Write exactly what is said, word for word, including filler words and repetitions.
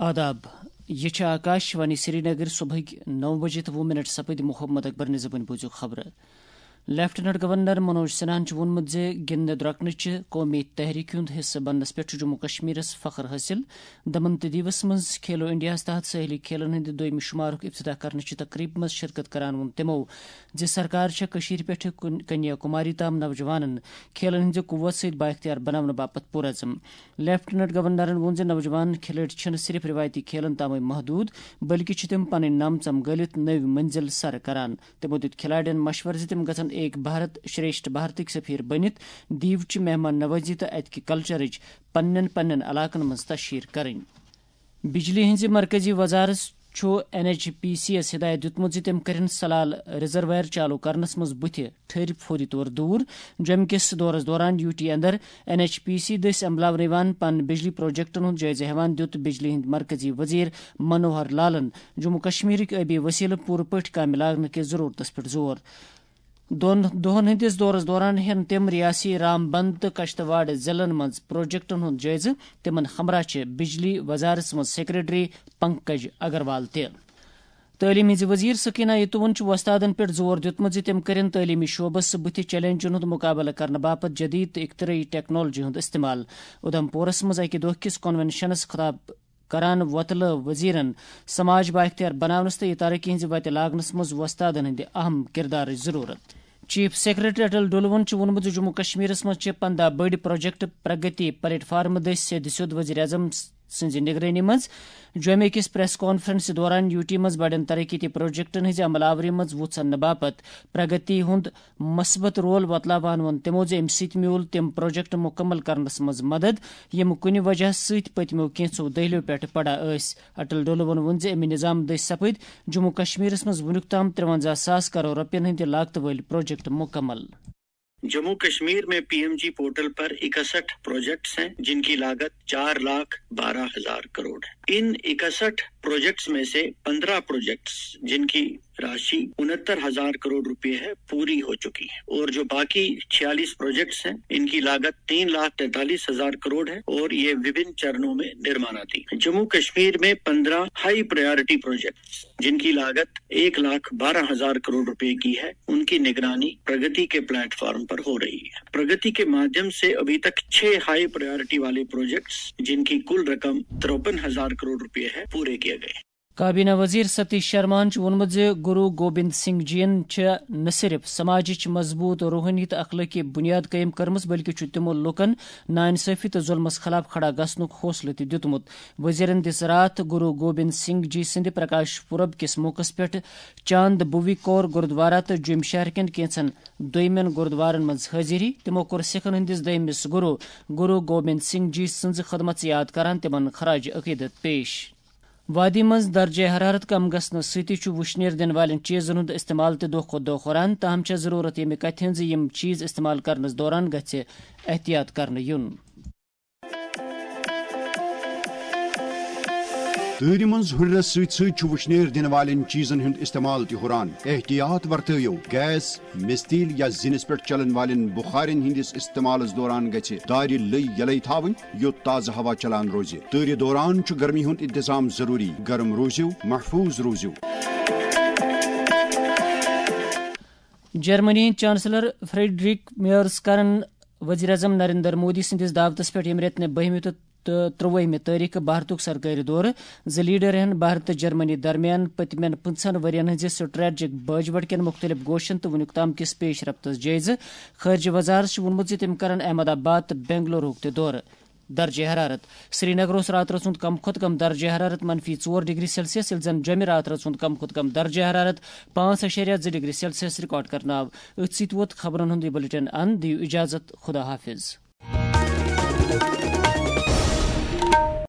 آداب، یہِ چھِ آکاش وانی سرینگر۔ صبحٕکۍ نو بجے تہٕ وُہ منٹ سپٕدۍ۔ محمد اکبر نِزبٕنۍ بوٗزِو خبرٕ۔ لیفٹیننٹ گورنر منوج سنہاہن چھُ ووٚنمُت زِ گِنٛدنہٕ درۄکنٕچہِ قومی تحریٖکہِ ہُنٛد حصہٕ بننس پٮ۪ٹھ چھُ جموں کشمیرس فخر حٲصِل۔ دمن تہٕ دیوس منٛز کھیلو انڈیاہس تحت سٲحلی کھیلن ہٕنٛدِ دوٚیمہِ شمارُک افتتاح کرنٕچہِ تقریبہِ منٛز شرکت کران ووٚن تِمو زِ سرکار چھےٚ کٔشیٖرِ پٮ۪ٹھٕ کن-، کنیا کماری تام نوجوانن کھیلن ہٕنٛزِ قوت سۭتۍ بااختیار بناونہٕ باپتھ پُرعزم۔ لیفٹیننٹ گورنرن ووٚن زِ نوجوان کھلٲڑۍ چھِنہٕ صرف رِوایتی کھیلن تامٕے محدوٗد، بلکہِ چھِ تِم پنٕنۍ نم ژم گٔلِتھ نٔوۍ منزل سر کران۔ تِمو دِیُت کھلاڑٮ۪ن مشورٕ زِ تِم گژھن ایک بھارت شریشٹھ بھارتٕکۍ سفیر بٔنِتھ، دیوچہِ مہمان نوازی تہٕ اتہِ کہِ کلچرٕچ پننٮ۪ن پننٮ۪ن علاقن منٛز تشہیر کرٕنۍ۔ بجلی ہٕنٛزِ مرکزی وزارت چھُ این ایچ پی سی یَس ہدایت دِیُتمُت زِ تِم کٔرِن سلال ریزرویر چالو کرنس منٛز بُتھِ ٹھٔہرِتھ فوری طور دوٗر۔ جوٚمہِ کِس دورس دوران یوٗ ٹی اندر این ایچ پی سی دٔسۍ عملاونہٕ یِوان پن بجلی پروجیکٹن ہُنٛد جٲیزٕ ہٮ۪وان دِیُت بجلی ہٕنٛدۍ مرکزی وزیر منوہر لالن جموں کشمیرٕکۍ آبی وسیلہٕ پوٗرٕ پٲٹھۍ کامہِ لاگنہٕ کِس ضروٗرتس پٮ۪ٹھ زور۔ دۄن دۄہن ہٕنٛدِس دورس دوران ہٮ۪ن تِم ریاسی رام بند تہٕ کشتواڑ ضلعن منٛز پروجیکٹن ہُنٛد جٲیزٕ۔ تِمن ہمراہ چھِ بجلی وزارتس منٛز سیکرٹری پنکج اگروال تہِ۔ تعلیٖم ہٕنٛزِ وزیر سکینہ یتوون چھُ وۄستادن پٮ۪ٹھ زور دیُتمُت زِ تِم کٔرِن تعلیٖمی شعبس بُتھِ چیلنجن ہُنٛد مُقابلہٕ کرنہٕ باپتھ جدید تہٕ اختراعی ٹیکنالوجی ہُنٛد استعمال۔ اُدھمپورس منٛز اکہِ دۄہ کِس کنونشنس خطاب کران وۄتلٲو وزیرن سماج بااختیار بناونس تہٕ یہِ ترقی ہٕنٛزِ وتہِ لاگنس منٛز وۄستادن ہٕنٛدِ اہم کردارٕچ ضروٗرت۔ چیف سیکرٹری اٹل ڈولون چھُ ووٚنمُت زِ جموں کشمیرس منٛز چھِ پنداہ بٔڑۍ پروجیکٹ پرگتی پلیٹ فارم دٔسۍ سیٚدِ سیوٚد وزیر اعظم سٕنٛزِ نگرٲنی منٛز۔ جوٚمہِ أکِس پریس کانفرنسہِ دوران یوٗ ٹی منٛز بڑٮ۪ن ترقیتی پروجیکٹن ہٕنٛزِ عمل آوری منٛز وُژھ اننہٕ باپتھ پرگتی ہُنٛد مثبت رول وۄتلاوان ووٚن تِمو زِ اَمہِ سۭتۍ میوٗل تِم پروجیکٹ مُکمل کرنس منٛز مدد، یِم کُنہِ وجہ سۭتۍ پٔتمیو کینٛژھو دٔہلِیو پٮ۪ٹھ پڑا ٲسۍ۔ اٹل ڈولون ووٚن زِ اَمہِ نظام دٔسۍ سپٕدۍ جموں کشمیرس منٛز وُنیُک تام ترٛوَنزاہ ساس کرور رۄپین ہٕنٛدِ لاگتہٕ وٲلۍ پروجیکٹ مُکمل۔ جموں کشمیر میں پی ایم جی پورٹل پر اکسٹھ پروجیکٹس ہیں، جن کی لاگت چار لاکھ بارہ ہزار کروڑ ہے۔ ان اکسٹھ پروجیکٹس میں سے پندرہ پروجیکٹس، جن کی راشی انہتر ہزار کروڑ روپے ہے، پوری ہو چکی ہے، اور جو باقی چھیالیس پروجیکٹس ہیں، ان کی لاگت تین لاکھ تینتالیس ہزار کروڑ ہے اور یہ وبھن چرنوں میں نرمانادھین ہے۔ جموں کشمیر میں پندرہ ہائی پرائیورٹی پروجیکٹس، جن کی لاگت ایک لاکھ بارہ ہزار کروڑ روپے کی ہے، ان کی نگرانی پرگتی کے پلیٹ فارم پر ہو رہی ہے۔ پرگتی کے مادھیم سے ابھی تک چھ ہائی پرائیورٹی والے پروجیکٹس، جن کی کل رقم ترپن ہزار کروڑ روپے ہے، پورے کیے گئے۔ کابینہ وزیر ستیش شرماہن چھُ ووٚنمُت زِ گرو گوبند سنگھ جی ین چھِ نہ صرف سماجٕچ مضبوٗط روحٲنی تہٕ اخلٲقی بُنیاد قٲیِم کٔرمٕژ، بلکہِ چھُ تِمو لوٗکن ناانصٲفی تہٕ ظُلمس خلاف کھڑا گژھنُک حوصلہٕ تہِ دیُتمُت۔ وزیرن دِژ راتھ گرو گوبند سنگھ جی سٕنٛدِ پرکاش پُرب کِس موقعس پٮ۪ٹھ چاند بھوی کور گرودوارا تہٕ جوٚمۍ شہر کٮ۪ن کینٛژن دوٚیمٮ۪ن گرودوارن منٛز حٲضِری۔ تِمو کوٚر سِکھن ہٕنٛدِس دوٚیمِس گرو، گرو گوبند سنگھ جی سٕنٛزٕ خدمژٕ یاد کران تِمن خراج عقیدت پیش۔ وادی منٛز درجہ حرارت کم گژھنہٕ سۭتۍ چھُ وُشنیر دِنہٕ والٮ۪ن چیٖزن ہُنٛد استعمال تہِ دۄہ کھۄتہٕ دۄہ ہُران، تاہم چھےٚ ضروٗرت ییٚمہِ کتھِ ہٕنٛز زِ یِم چیٖز استعمال کرنس دوران گژھِ احتیاط کرنہٕ یُن۔ تۭرِ منٛز ہُرنس سۭتۍ سۭتۍ چھُ وُشنیر دِنہٕ والٮ۪ن چیٖزن ہُنٛد استعمال تہِ ہُران۔ احتیاط ورتٲیِو۔ گیس، مستیل یا زِنِس پٮ۪ٹھ چلن والٮ۪ن بخارٮ۪ن ہٕنٛدِس استعمالس دوران گژھِ دارِ لٔۍ یلے تھاوٕنۍ، یوٚت تازٕ ہوا چلان روزِ۔ تۭرِ دوران چھُ گرمی ہُنٛد انتظام ضروٗری۔ گرم روٗزِو، محفوٗظ روٗزِو۔ جرمنی ہٕنٛدۍ چانسلر فریڈرک میرز کرن وزیر اعظم نریندر مودی سٕنٛدِس دعوتس پٮ۪ٹھ ییٚمہِ رٮ۪تہٕ بٔہمہِ تہٕ تہٕ ترٛوٲہمہِ تٲریخہٕ بھارتُک سرکٲرۍ دورٕ۔ زٕ لیڈر ہٮ۪ن بھارت تہٕ جرمنی درمیان پٔتمٮ۪ن پٕنٛژٕہن ؤرین ہٕنٛزِ سٹریٹجک باجہِ وٹ کٮ۪ن مُختٔلِف گوشن تہٕ وُنیُک تام کِس پیش رفتس جٲیزٕ۔ خارجہ وزارت چھُ ووٚنمُت زِ تٔمۍ کرن احمد آباد تہٕ بنگلورُک تہِ دورٕ۔ درجہ حرارت۔ سرینگر اوس راتہٕ رٲژ ہُنٛد کم کھۄتہٕ کم درجہ حرارت منفی ژور ڈگری سیلسیس، ییٚلہِ زن جوٚمہِ راتہٕ رٲژ ہُنٛد کم کھۄتہٕ کم درجہ حرارت پانٛژھ اعشاریہ زٕ ڈگری سیلسیس ریکارڈ کرنہٕ آو۔ أتھۍ سۭتۍ ووت خبرن ہُنٛد یہِ بلیٹن اند۔ دِیِو اجازت، خدا حافظ۔